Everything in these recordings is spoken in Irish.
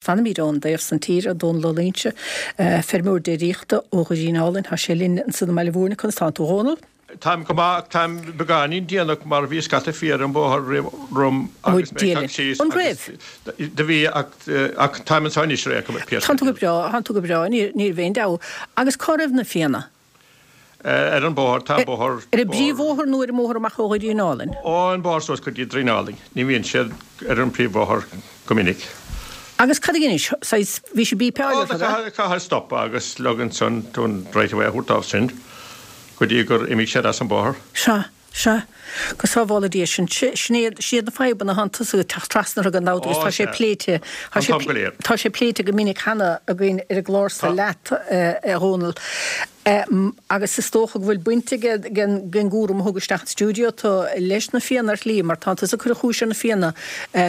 Fanfaimid ón dtaobh san tíre, Dónal Ó Loingsigh, feirmeoir déiríochta ó Dhoirín Álainn. Tá sé linn ansan i mBaile Mhúirne. Conas tánn tú, a Dhónaill? Táim go maith ach táim beagáinín déanach mar bhí scata fia ar an bhóthar romham agus mé ag teacht síos An raibh? Do bhí ach táim anseo anois ar aon chuma, Pearse. Tánn tú go breá, tánn tú go breá, ní raibh aon dabht. Agus cá raibh na fianna? Ar an bóthar, tá an bóthar. Ar an bpríomhbhóthar nó ar an mbóthar amach ó Dhoirín Álainn? Ó, an bóthar suas go dtí Doirín Álainn. Ní bhíonn siad ar an bpríomhbhóthar go minic. Agus cad a dheinis? Saghas, bhí siad beepáil orthu, ab ea? Caithfidh stopadh agus leag ansan tú an right of way a thabhairt dóibh sin go dtí gur imigh siad as an bóthar. Sea. Sea. Go sábhála Dia sinn. Sin iad, sin iad na fadhbanna atánn tusa ag teacht trasna orthu gan dabht agus tá sé pléite, tá sé, tá sé pléite go minic cheana againn ar an gclár so leat, a Dhónaill. Agus is dócha go bhfuil baint ag an gcúram a thug isteach an stiúideo tú leis na fianna ar shlí mar tánn tusa ag cur an chúis ar na fianna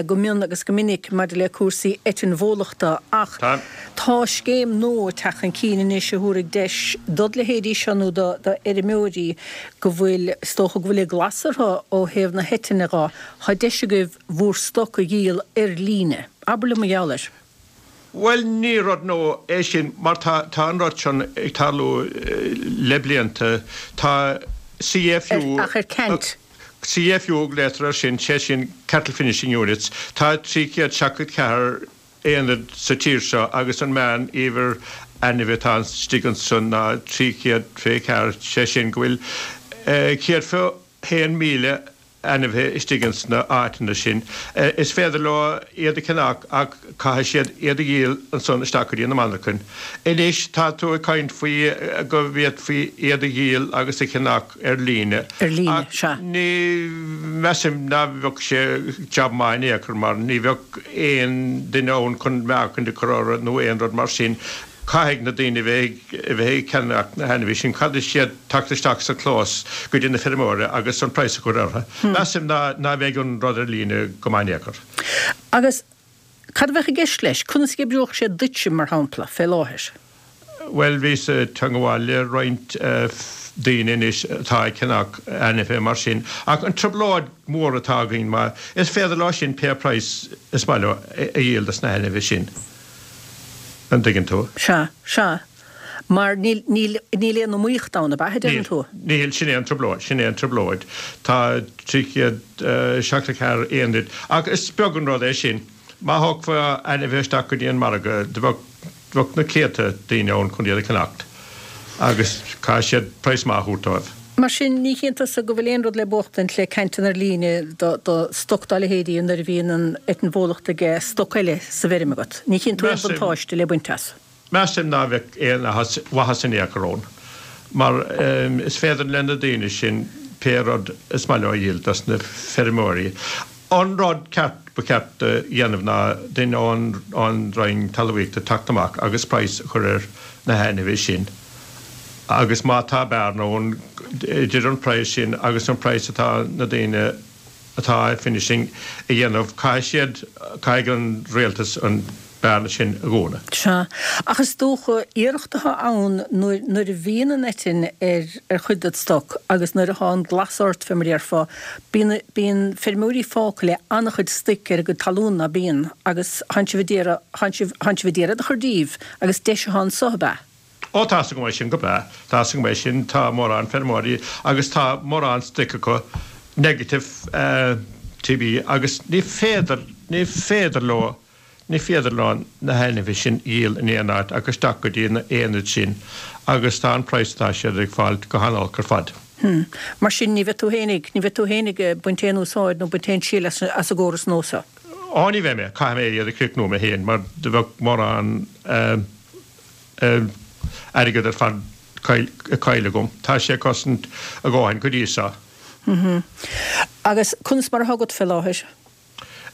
go mion agus go minic maidir le cúrsaí eitinn bhólachta ach tá scéim nua ag teacht chun cinn anois a thabharfaidh deis dod leithéidí seo nó do fheirmeoirí go bhfuil, is dócha go bhfuil an glas orthu ó thaobh na heitinne dho, tá deis agaibh bhúr stoc a dhíol ar líne. Abair liom mar gheall air. Bhuel, ní rud nua é sin mar tá, tá an rud sin ag tarlú le blianta. Tá CFU. Ach ar ceant. CFU a ghlaotar air sin, sé sin Cattle Finishing Units. Tá 374 aonad sa tír seo agus an meán uimhir ainmhithe atá istigh ansan ná 324, sé sin go bhfuil 121,000 ainmhithe istigh ins na áiteanna sin. Is féidir leo iad a cheannach ach caithfidh siad iad a dhíol ansan isteach go dtí na monarchain. Anois tá tú ag caint faoi go bhféadfaí iad a dhíol agus a cheannach ar líne. Ar líne, Ach sea. ní mheasaim ná bheadh sé jab maith in aon chor mar ní bheadh aon duine ann chun meáchaint a chur orthu nó aon rud mar sin. Caithfidh na daoine bheith a bheith ag ceannach na hainmhithe sin, caithfidh siad teacht isteach sa chlós go dtí na feirmeoirí agus an praghas a chur orthu. Measaim ná ná bheidh an rud ar líne go maith in aon chor. Agus cad a bheadh i gceist leis? Conas a oibreodh sé duitse, mar shampla, fé láthair? Bhuel, bhíos ag teangmháil le roinnt daoine anois atá ag ceannach ainmhithe mar sin, ach an trioblóid mhór atá againn, mar is féidir leo sin pé praghas is maith leo a dhíol dos na hainmhithe sin, an dtuigeann tú? Sea, sea. Mar níl, níl, níl aon iomaíocht ann, ab ea, a deireann tú? Níl, níl, sin é an trioblóid, sin é an trioblóid. Tá 374 aonad, ach is beag an rud é sin. Má thógfá ainmhithe isteach go dtí an margadh, do bheadh, bheadh na céadta daoine ann chun iad a cheannacht agus caithfidh siad praghas maith a thabhairt dóibh. Mar sin, ní chíonn tusa go bhfuil aon rud le buachtaint le cainteanna ar líne do, do stoc dá leithéidí nuair a bhíonn an eitinn bhólachta ag stoc eile sa bhfeirm agat. Ní chíonn tú aon bhuntáiste le baint as. Measaim ná bheadh aon mhaitheas in aon chor ann, mar is féidir le na daoine sin pé rud is maith leo a dhíol dos na feirmeoirí. An rud ceart ba cheart a dhéanamh ná duine ón Roinn Talmhaíochta teacht amach agus praghas a chur ar na hainmhithe sin agus má tá bearna ann idir an praghas sin agus an praghas atá na daoine atá finishing a dhéanamh, caithfidh siad, caithfidh an rialtas an bearna sin a dhúnadh. Sea, ach is dócha, iarracht atá ann nuair, nuair a bhíonn an eitinn ar, ar chuid ded stoc agus nuair atá an glas ort, fé mar a déarfá, bíonn, bíonn feirmeoirí fágtha le an-chuid stoic ar a gcuid talún, ná bíonn, agus tánn sibh a d'iarraidh, tánn sibh, tánn sibh a d'iarraidh iad a chur díobh agus deis atá anso, ab ea? Ó, tá's agam é sin go breá. Tá's agam é sin. Tá mórán feirmeoirí agus tá mórán stoic acu negative TB agus ní féidir, ní féidir leo, ní féidir leo na hainmhithe sin a dhíol in aon áit ach isteach go dtí na aonaid sin agus tá an praghas atá siad ag fáil go han-olc ar fad. Hm. Mar sin ní bheidh tú fhéinig, ní bheidh tú fhéinig ag baint aon úsáid nó baint aon triail as an gcóras nua seo? Ó, ní bheidh mé. Caithfidh mé iad a chríochnú mé féin mar do bheadh mórán airgead ar fad caillte agam. Tá sé ag cosaint a dhóthain go dtí seo. Hm. Agus conas mar atá agat fé láthair?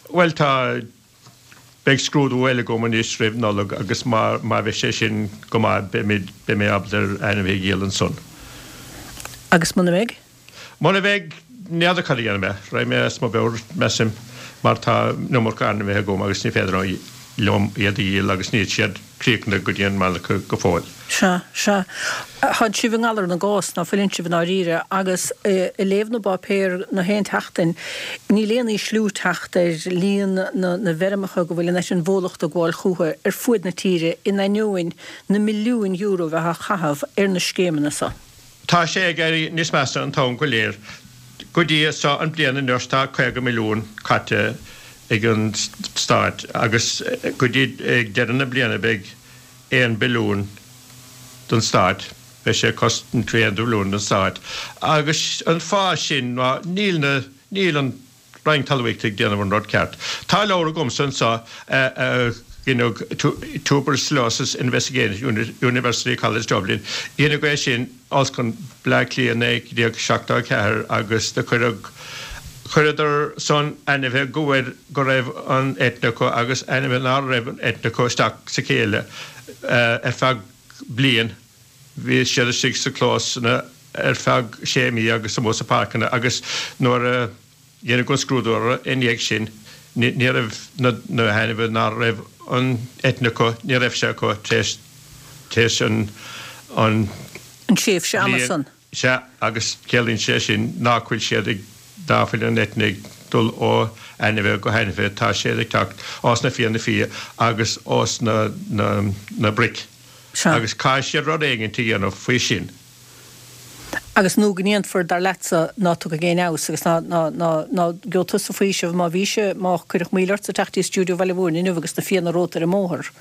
Bhuel, tá, beidh scrúdú eile agam anois roimh Nollaig agus má, má bheidh sé sin go maith beimid, beidh mé ábalta ar ainmhithe a dhíol ansan. Agus muna mbeidh? Muna mbeidh, n'fheadar cad a dhéanfaidh mé. Raghaidh mé as mo mheabhair, measaim, mar tá an iomarca ainmhithe agam agus ní féidir liom iad a dhíol agus níl siad críochnaithe go dtí an monarcha go fóill. Sea, sea. Tánn sibh i ngalar na gcás, ná fuileann sibh i ndáiríre, agus ag léamh na bpáipéar na haon tseachtain, níl aon ísliú ag teacht ar líon na bhfeirmeacha go bhfuil an eitinn bhólachta ag gabháil chúthu ar fuaid na tíre in ainneoin na milliúin euro a bheith á chaitheamh ar na scéimeanna so. Tá sé ag éirí níos measa an t-am go léir. Go dtí so an bliain anois tá 50 milliún caite ag an Stát agus go dtí ag deireadh na bliana beidh 1 billiún don Stát, beidh sé ag cosaint 1 billiún don Stát agus an fáth sin ná níl na, níl an Roinn Talmhaíochta ag déanamh an rud ceart. Tá leabhar agamsa anseo a dheineadh Tuberculosis Investigation Unit, University College Dublin, dheineadh é sin Ollscoil Bleá Cliath 1974 agus do cuireadh, chuireadar san ainmhithe go bhfuil, go raibh an eitinn acu agus ainmhithe ná raibh an eitinn acu isteach sa chéile ar feadh bliain. Bhí siad istigh sa clósanna ar feadh sé mí agus amuigh sa páirceanna agus nuair a dheineadh an scrúdú orthu i ndiaidh sin ní raibh na hainmhithe ná raibh an eitinn acu, ní raibh sé acu tar éis an an tréimhse ama san. Sea, agus ciallaíonn sé sin nach bhfuil siad ag, ná fuil an eitinn ag dul ó ainmhithe go hainmhithe, tá siad ag teacht ós na fianna fia agus ós na, na, na broic. Sea. Agus caithfidh siad rud éigint a dhéanamh faoi sin. Agus nó go ndéanfar, dar leatsa, ná tiocfaidh aon fheabhas agus ná, ná, ná, ná gheobhaidh tusa faoiseamh má bhí sé, má cuireadh moill ortsa teacht dtí stiúideo Bhaile Mhúirne inniu agus na fianna romhat ar an mbóthar.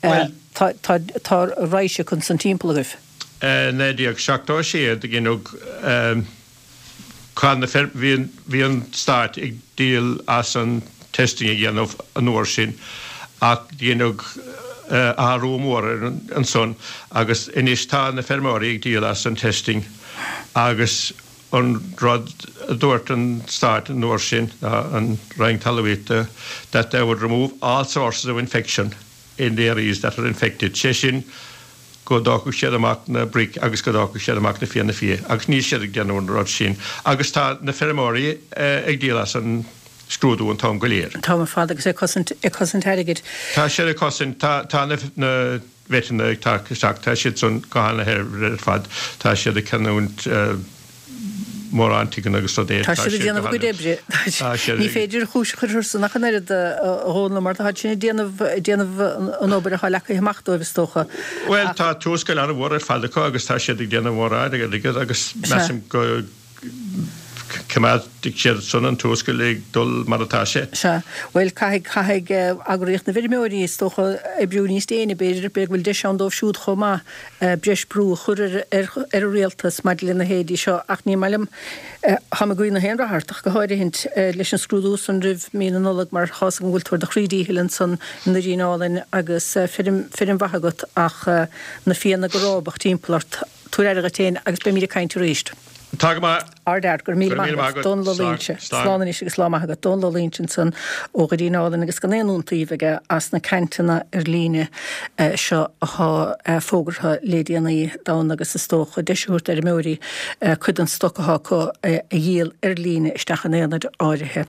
Bhuel. Tá, tá, tá raidhse acu ansan timpeall agaibh. 1976 do dheineadh cath na bhí bhí an Stát ag díol as an testing a dhéanamh an uair sin ach dheineadh athrú mór ar ansan agus anois tá na feirmeoirí ag díol as an testing agus an rud a dúirt an Stát an uair sin ná an Roinn Talmhaíochta that they would remove all sources of infection in the areas that are infected, sé sin go dtógfadh siad amach na broic agus go dtógfadh siad amach na fianna fia agus níl siad ag déanamh an rud sin agus tá na feirmeoirí ag díol as an scrúdú an t-am go léir. An t-am ar fad agus ag cosaint, ag cosaint airgid. Tá siad ag cosaint, tá, tá na, na veteanna ag teacht isteach, tá siad san go han-shaibhir ar fad, tá siad ag ceannúint mórán tigheanna agus rudaí. Tá siad ag déanamh a gcuid oibre. Ní féidir an chúis a chur orthusan ach an oiread, a Dhónaill, mar tá siad ag déanamh, ag déanamh an obair atá leagtha amach dóibh, is dócha. Bhuel, tá tuarascáil an-mhór ar fad acu agus tá siad ag déanamh mórán airgid agus measaim go coimeádfaidh siad san an tuarascáil ag dul mar atá sé. Sea. Bhuel, caithfidh, caithfidh eagraíocht na bhfeirmeoirí, is dócha, oibriú níos déine, b'fhéidir, b'fhéidir go bhfuil deis ann dóibh siúd chomh maith. breis brú a chur ar an rialtas maidir lena leithéidí seo ach ní maith liom, táim ag guí na haon rath ort ach go háirithint leis an scrúdú san roimh mí na Nollag mar tá's agam go bhfuil tú ar do chroí díchill ansan i nDoirín Álainn agus feirm, feirm mhaith agat ach na fianna go rábach timpeall ort. Tabhair aire dhuit féin agus beimid ag caint arís. Tá go maith. Ard-fhear, go raibh míle maith agat. Dónal Ó Loingsigh. Slán anois agus lá maith agat. Dónal Ó Loingsigh ansan ó Dhoirín Álainn agus gan aon iontaoibh aige as na cainteanna ar líne seo athá fógartha le déanaí d'fhonn agus is dócha deis a thabhairt d'fheirmeoirí cuid den stoc athá acu a dhíol ar líne isteach in aonaid áirithe.